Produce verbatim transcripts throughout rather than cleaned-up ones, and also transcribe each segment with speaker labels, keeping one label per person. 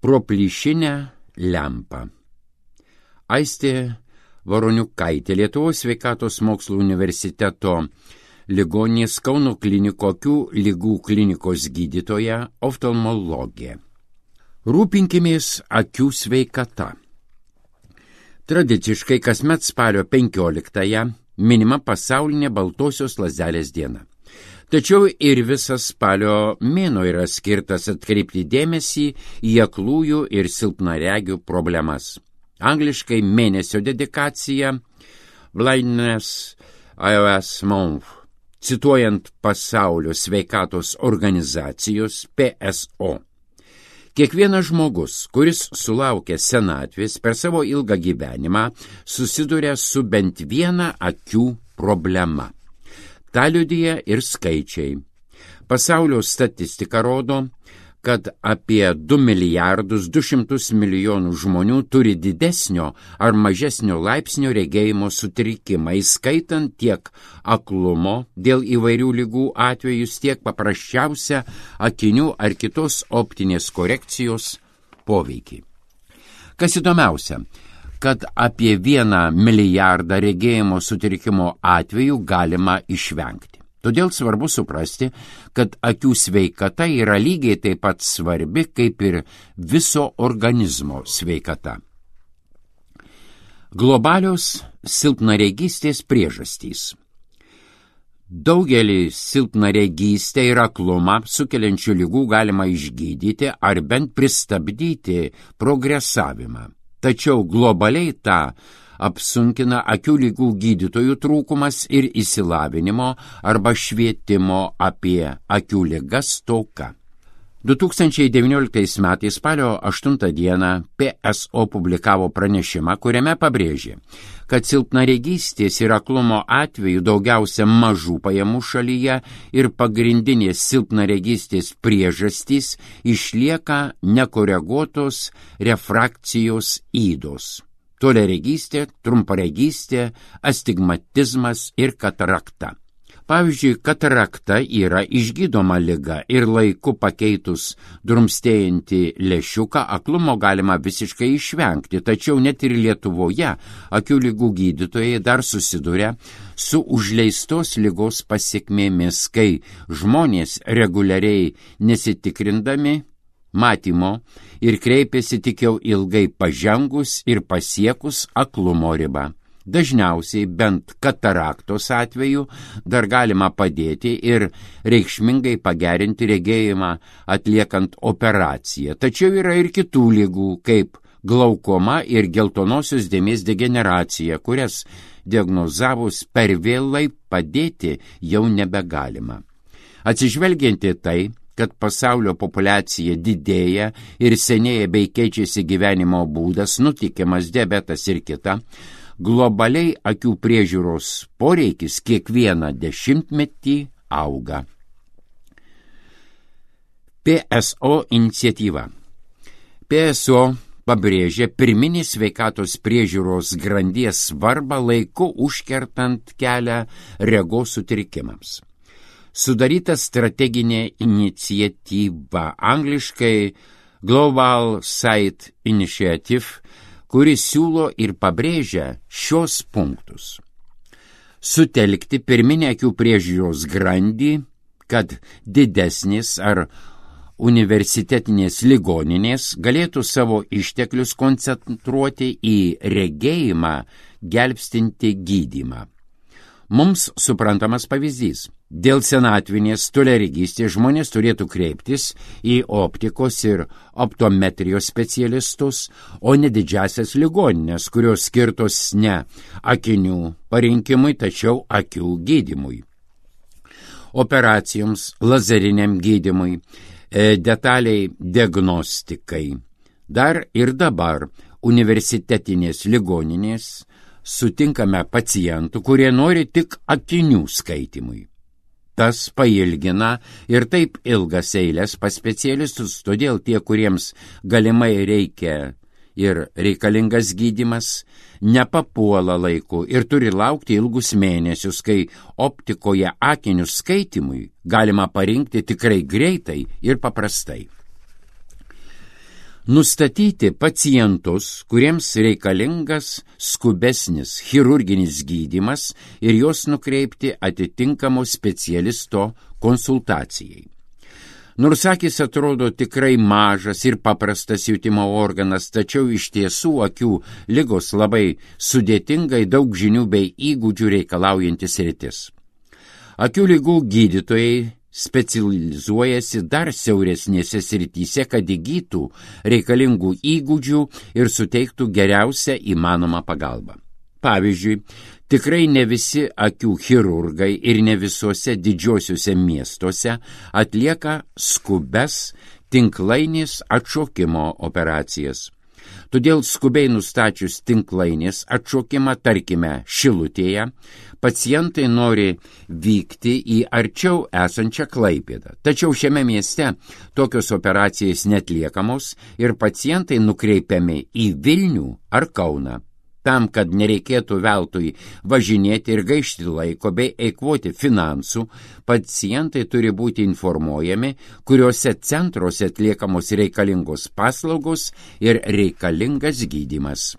Speaker 1: Pro plyšinę lempą. Aistė Voroniukaitė, Lietuvos sveikatos mokslų universiteto ligoninės Kauno klinikų akių ligų klinikos gydytoja, oftalmologė. Rūpinkimės akių sveikata. Tradiciškai kasmet spalio penkioliktąją minima pasaulinė baltosios lazdelės diena. Tačiau ir visas spalio mėnuo yra skirtas atkreipti dėmesį į aklųjų ir silpnaregių problemas. Angliškai mėnesio dedikacija Blindness Awareness Month, cituojant Pasaulio sveikatos organizacijos P S O. Kiekvienas žmogus, kuris sulaukia senatvės per savo ilgą gyvenimą, susiduria su bent viena akių problema. Ta liudija ir skaičiai. Pasaulio statistika rodo, kad apie du milijardus du šimtus milijonų žmonių turi didesnio ar mažesnio laipsnio regėjimo sutrikimą, įskaitant tiek aklumo dėl įvairių ligų atvejus, tiek paprasčiausią akinių ar kitos optinės korekcijos poveikį. Kas įdomiausia, kad apie vieną milijardą regėjimo sutrikimo atvejų galima išvengti. Todėl svarbu suprasti, kad akių sveikata yra lygiai taip pat svarbi kaip ir viso organizmo sveikata. Globalios silpnaregystės priežastys. Daugelį silpnaregystę ir aklumą sukeliančių ligų galima išgydyti ar bent pristabdyti progresavimą. Tačiau globaliai tą apsunkina akių ligų gydytojų trūkumas ir išsilavinimo arba švietimo apie akių ligas stoka. du tūkstančiai devynioliktais metais spalio aštuntą dieną P S O publikavo pranešimą, kuriame pabrėžė, kad silpnaregystės ir aklumo atveju daugiausia mažų pajamų šalyje ir pagrindinės silpnaregystės priežastys išlieka nekoreguotos refrakcijos ydos. Toliaregystė, trumparegystė, astigmatizmas ir katarakta. Pavyzdžiui, katarakta yra išgydoma liga ir laiku pakeitus drumstėjantį lęšiuką aklumo galima visiškai išvengti, tačiau net ir Lietuvoje akių ligų gydytojai dar susiduria su užleistos ligos pasekmėmis, kai žmonės reguliariai nesitikrindami matymo ir kreipiasi tik jau ilgai pažengus ir pasiekus aklumo ribą. Dažniausiai bent kataraktos atveju dar galima padėti ir reikšmingai pagerinti regėjimą atliekant operaciją. Tačiau yra ir kitų ligų, kaip glaukoma ir geltonosios dėmės degeneracija, kurias diagnozavus per vėlai padėti jau nebegalima. Atsižvelgiant į tai, kad pasaulio populiacija didėja ir senėja bei keičiasi gyvenimo būdas, nutikimas, diabetas ir kita, globaliai akių priežiūros poreikis kiekvieną dešimtmetį auga. P S O iniciatyva. P S O pabrėžė pirminės sveikatos priežiūros grandies svarbą laiku užkertant kelią regos sutrikimams. Sudaryta strateginė iniciatyva, angliškai Global Sight Initiative, kuri siūlo ir pabrėžia šios punktus. Sutelkti pirminę akių priežiūros grandį, kad didesnės ar universitetinės ligoninės galėtų savo išteklius koncentruoti į regėjimą gelbstinti gydymą. Mums suprantamas pavyzdys. Dėl senatvinės toliaregystės žmonės turėtų kreiptis į optikos ir optometrijos specialistus, o ne didžiasias ligoninės, kurios skirtos ne akinių parinkimui, tačiau akių gydymui. Operacijoms, lazeriniam gydymui, detaliai diagnostikai. Dar ir dabar universitetinės ligoninės sutinkame pacientų, kurie nori tik akinių skaitimui. Tas pailgina ir taip ilgas eilės pas specialistus, todėl tie, kuriems galimai reikia ir reikalingas gydymas, nepapuola laiku ir turi laukti ilgus mėnesius, kai optikoje akinių skaitimui galima parinkti tikrai greitai ir paprastai. Nustatyti pacientus, kuriems reikalingas skubesnis chirurginis gydymas ir juos nukreipti atitinkamo specialisto konsultacijai. Nors akis atrodo tikrai mažas ir paprastas jutimo organas, tačiau iš tiesų akių ligos labai sudėtingai daug žinių bei įgūdžių reikalaujantis sritis. Akių ligų gydytojai specializuojasi dar siauresnėse srityse, kad įgytų reikalingų įgūdžių ir suteiktų geriausią įmanomą pagalbą. Pavyzdžiui, tikrai ne visi akių chirurgai ir ne visuose didžiosiuose miestuose atlieka skubes tinklainės atšokimo operacijas. Todėl skubiai nustačius tinklainės atšokimą, tarkime, Šilutėje, pacientai nori vykti į arčiau esančią Klaipėdą. Tačiau šiame mieste tokios operacijas netliekamos ir pacientai nukreipiami į Vilnių ar Kauną. Tam, kad nereikėtų veltui važinėti ir gaišti laiko bei eikvoti finansų, pacientai turi būti informuojami, kuriuose centruose atliekamos reikalingos paslaugos ir reikalingas gydymas.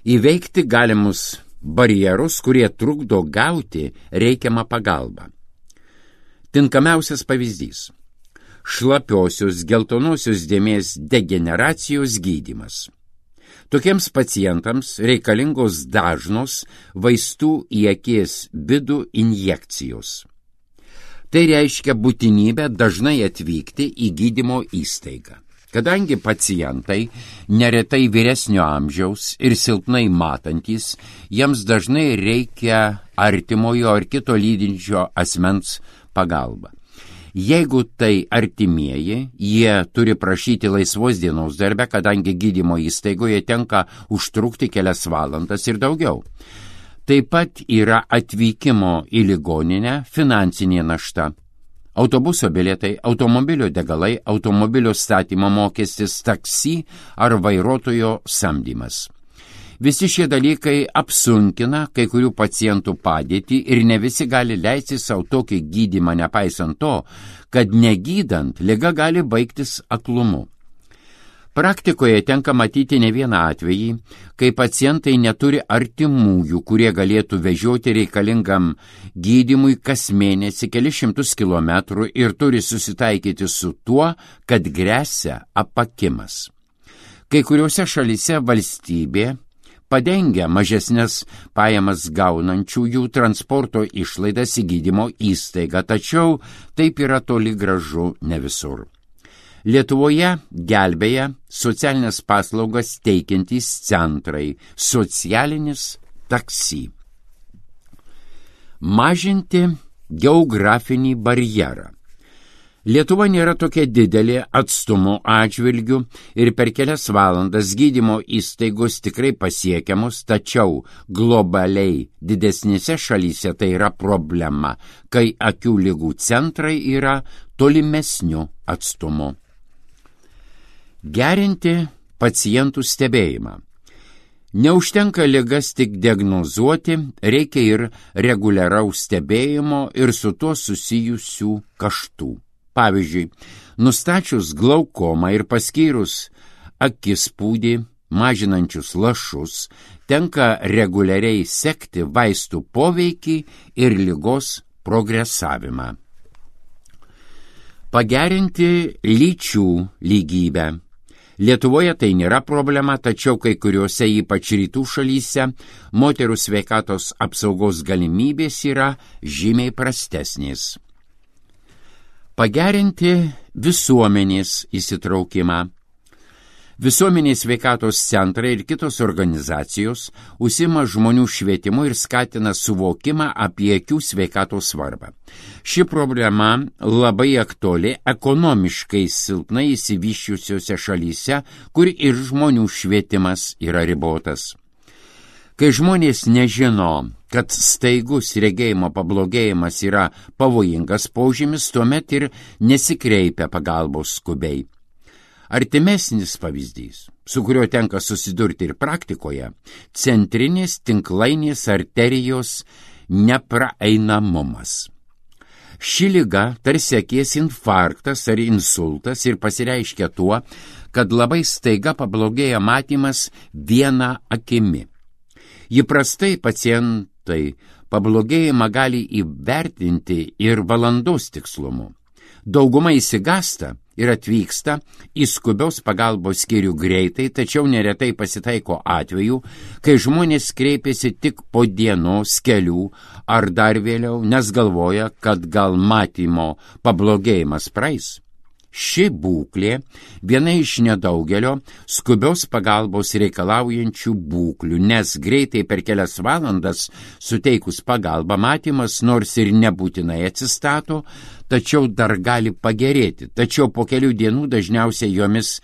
Speaker 1: Įveikti galimus barjerus, kurie trukdo gauti reikiamą pagalbą. Tinkamiausias pavyzdys – šlapiosios geltonosios dėmės degeneracijos gydymas. Tokiems pacientams reikalingos dažnos vaistų į akies vidų injekcijos. Tai reiškia būtinybę dažnai atvykti į gydymo įstaigą. Kadangi pacientai neretai vyresnio amžiaus ir silpnai matantys, jiems dažnai reikia artimojo ar kito lydinčio asmens pagalba. Jeigu tai artimieji, jie turi prašyti laisvos dienos darbe, kadangi gydymo įstaigoje tenka užtrukti kelias valandas ir daugiau. Taip pat yra atvykimo į ligoninę finansinė našta. Autobuso bilietai, automobilio degalai, automobilio statymo mokestis, taksi ar vairuotojo samdymas. Visi šie dalykai apsunkina kai kurių pacientų padėtį ir ne visi gali leisti savo tokį gydymą, nepaisant to, kad negydant liga gali baigtis aklumu. Praktikoje tenka matyti ne vieną atvejį, kai pacientai neturi artimųjų, kurie galėtų vežioti reikalingam gydymui kas mėnesį kelis šimtus kilometrų ir turi susitaikyti su tuo, kad gresia apakimas. Kai kuriuose šalyse valstybė padengia mažesnės pajamas gaunančiųjų transporto išlaidas į gydymo įstaigą, tačiau taip yra toli gražu ne visur. Lietuvoje gelbėja socialinės paslaugas teikiantys centrai, socialinis taksi. Mažinti geografinį barjerą. Lietuva nėra tokia didelė atstumo atžvilgių ir per kelias valandas gydymo įstaigos tikrai pasiekiamos, tačiau globaliai didesnėse šalyse tai yra problema, kai akių ligų centrai yra tolimesniu atstumu. Gerinti pacientų stebėjimą. Neužtenka ligas tik diagnozuoti, reikia ir reguliaraus stebėjimo ir su tuo susijusių kaštų. Pavyzdžiui, nustačius glaukomą ir paskyrus akispūdį mažinančius lašus, tenka reguliariai sekti vaistų poveikį ir ligos progresavimą. Pagerinti lyčių lygybę. Lietuvoje tai nėra problema, tačiau kai kuriuose, ypač rytų šalyse, moterų sveikatos apsaugos galimybės yra žymiai prastesnės. Pagerinti visuomenės įsitraukimą. Visuomenės sveikatos centrai ir kitos organizacijos užsiima žmonių švietimu ir skatina suvokimą apie akių sveikatos svarbą. Ši problema labai aktuali ekonomiškai silpnai išsivysčiusiose šalyse, kur ir žmonių švietimas yra ribotas. Kai žmonės nežino, kad staigus regėjimo pablogėjimas yra pavojingas požymis, tuomet ir nesikreipia pagalbos skubiai. Artimesnis pavyzdys, su kuriuo tenka susidurti ir praktikoje, centrinės tinklainės arterijos nepraeinamumas. Ši liga tarsi akies infarktas ar insultas ir pasireiškia tuo, kad labai staiga pablogėja matymas viena akimi. Įprastai pacientai pablogėjimą gali įvertinti ir valandos tikslumu. Dauguma įsigasta ir atvyksta į skubios pagalbos skyrių greitai, tačiau neretai pasitaiko atvejų, kai žmonės kreipiasi tik po dienos, kelių ar dar vėliau, nes galvoja, kad gal matymo pablogėjimas praeis. Ši būklė viena iš nedaugelio skubios pagalbos reikalaujančių būklių, nes greitai per kelias valandas suteikus pagalbą matymas nors ir nebūtinai atsistato, tačiau dar gali pagerėti. Tačiau po kelių dienų dažniausiai jomis,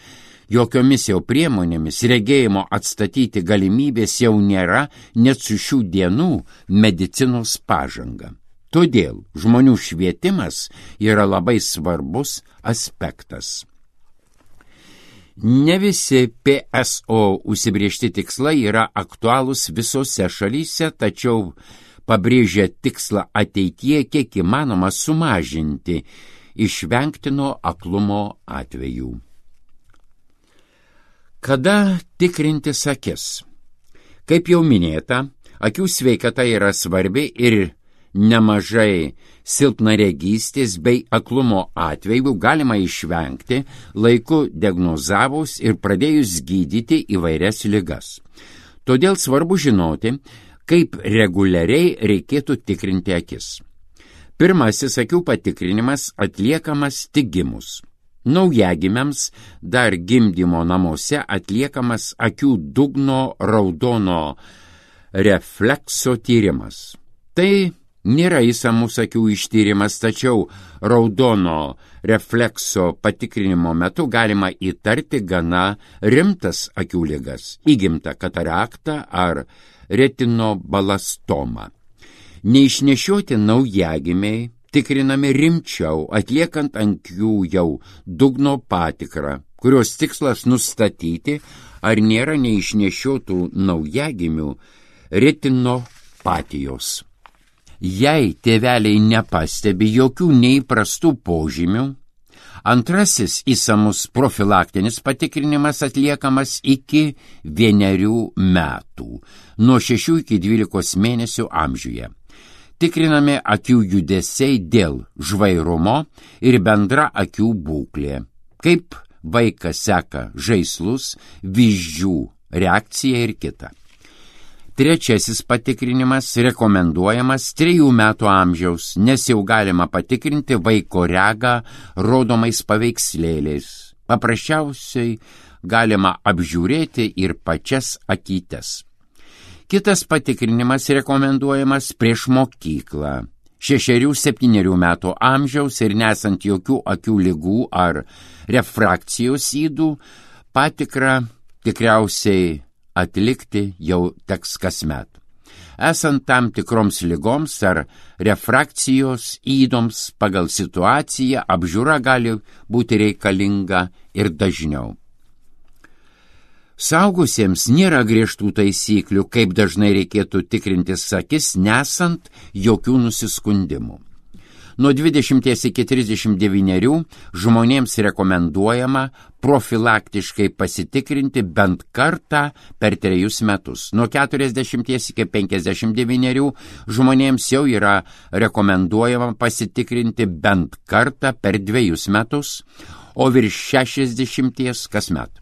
Speaker 1: jokiomis jau priemonėmis regėjimo atstatyti galimybės jau nėra net su šių dienų medicinos pažanga. Todėl žmonių švietimas yra labai svarbus aspektas. Ne visi P S O užsibriežti tikslai yra aktualūs visose šalyse, tačiau pabrėžia tikslą ateityje kiek įmanoma sumažinti išvengtino aklumo atvejų. Kada tikrintis akis? Kaip jau minėta, akių sveikata yra svarbi ir nemažai silpnaregystės bei aklumo atvejų galima išvengti laiku diagnozavus ir pradėjus gydyti įvairias ligas. Todėl svarbu žinoti, kaip reguliariai reikėtų tikrinti akis. Pirmasis akių patikrinimas atliekamas tik gimus. Naujagimiams dar gimdymo namuose atliekamas akių dugno raudono reflekso tyrimas. Tai nėra išsamus akių ištyrimas, tačiau raudono reflekso patikrinimo metu galima įtarti gana rimtas akių ligas, įgimtą kataraktą ar retinobalastomą. Neišnešioti naujagimiai tikrinami rimčiau, atliekant ant jų jau dugno patikrą, kurios tikslas nustatyti, ar nėra neišnešiotų naujagimių retinopatijos. Jei tėveliai nepastebi jokių neįprastų požymių, antrasis išsamus profilaktinis patikrinimas atliekamas iki vienerių metų, nuo šešių iki dvylikos mėnesių amžiuje. Tikrinami akių judesiai dėl žvairumo ir bendra akių būklė, kaip vaikas seka žaislus, vyzdžių reakciją ir kitą. Trečiasis patikrinimas rekomenduojamas trejų metų amžiaus, nes jau galima patikrinti vaiko regą rodomais paveikslėliais. Paprasčiausiai galima apžiūrėti ir pačias akytes. Kitas patikrinimas rekomenduojamas prieš mokyklą. Šešerių septynerių metų amžiaus ir nesant jokių akių ligų ar refrakcijos ydų, patikrą tikriausiai atlikti jau teks kasmet. Esant tam tikroms ligoms ar refrakcijos įdoms pagal situaciją, apžiūra gali būti reikalinga ir dažniau. Saugusiems nėra griežtų taisyklių, kaip dažnai reikėtų tikrintis akis, nesant jokių nusiskundimų. Nuo dvidešimties iki trisdešimt devynerių žmonėms rekomenduojama profilaktiškai pasitikrinti bent kartą per trejus metus. Nuo keturiasdešimties iki penkiasdešimt devynerių žmonėms jau yra rekomenduojama pasitikrinti bent kartą per dvejus metus, o virš šešiasdešimties kasmet.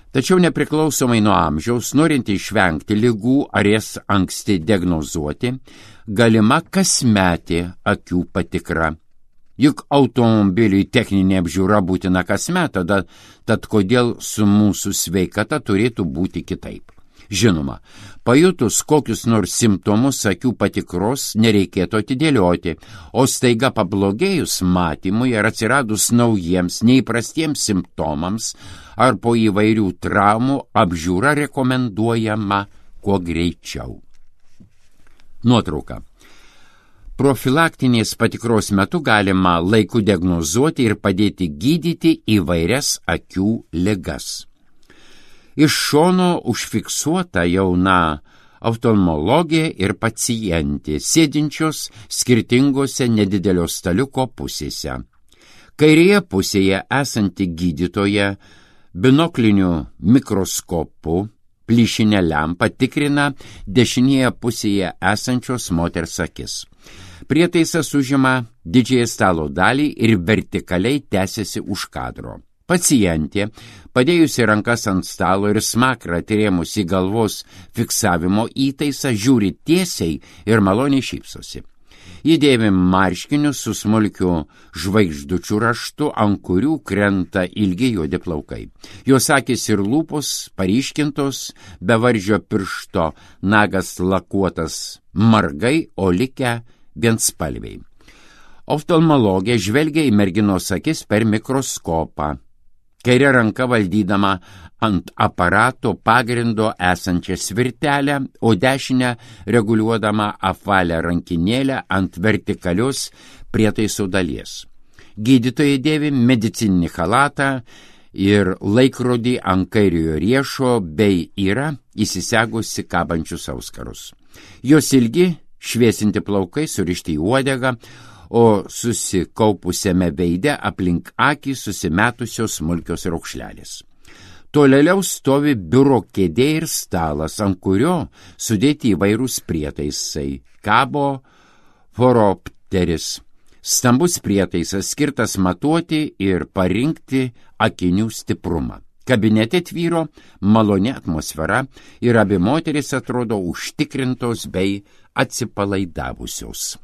Speaker 1: Tačiau nepriklausomai nuo amžiaus, norint išvengti ligų ar jas anksti diagnozuoti, galima kasmetė akių patikra. Juk automobiliui techninė apžiūra būtina kasmet, tada, tad kodėl su mūsų sveikata turėtų būti kitaip? Žinoma, pajutus kokius nors simptomus akių patikros nereikėtų atidėlioti, o staiga pablogėjus matymui ar atsiradus naujiems neįprastiems simptomams ar po įvairių traumų apžiūra rekomenduojama kuo greičiau. Nuotrauka. Profilaktinės patikros metu galima laiku diagnozuoti ir padėti gydyti įvairias akių ligas. Iš šono užfiksuota jauna oftalmologė ir pacientė, sėdinčios skirtingose nedidelio staliuko pusėse. Kairėje pusėje esanti gydytoja binokliniu mikroskopu plyšinę lempą tikrina dešinėje pusėje esančios moters akis. Prietaisas užima didžiąją stalo dalį ir vertikaliai tęsiasi už kadro. Pacientė, padėjusi rankas ant stalo ir smakrą atrėmusi galvos fiksavimo įtaisą, žiūri tiesiai ir maloniai šypsosi. Ji dėvi marškinius su smulkiu žvaigždučių raštu, ant kurių krenta ilgi juodi plaukai. Jos akys ir lūpos paryškintos, bevardžio piršto nagas lakuotas margai, o likę vienspalviai. Oftalmologė žvelgia į merginos akis per mikroskopą, kairė ranka valdydama ant aparato pagrindo esančią svirtelę, o dešinę reguliuodama apvalią rankinėlę ant vertikalios prietaiso dalies. Gydytoja dėvi medicininį chalatą ir laikrodį ant kairiojo riešo bei yra įsisegusi kabančius auskarus. Jos ilgi, šviesinti plaukai surišti į uodegą, o susikaupusiame veide aplink akį susimetusios smulkios raukšlelės. Tolėliau stovi biuro kėdė ir stalas, ant kurio sudėti įvairūs prietaisai. Kabo foropteris, stambus prietaisas skirtas matuoti ir parinkti akinių stiprumą. Kabinete tvyro maloni atmosfera ir abi moterys atrodo užtikrintos bei atsipalaidavusios.